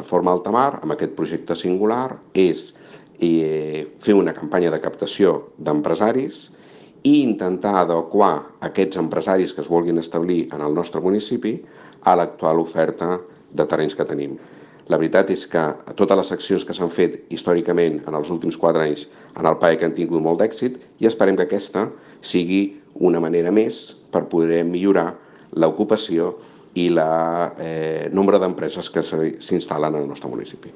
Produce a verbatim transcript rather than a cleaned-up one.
plataforma Altamar, amb aquest projecte singular, és eh, fer una campanya de captació d'empresaris i intentar adequar aquests empresaris que es vulguin establir en el nostre municipi a l'actual oferta de terrenys que tenim. La veritat és que totes les accions que s'han fet històricament en els últims quatre anys en el P A E que han tingut molt d'èxit i esperem que aquesta sigui una manera més per poder millorar l'ocupació i el eh, nombre d'empreses que s'instal·len al nostre municipi.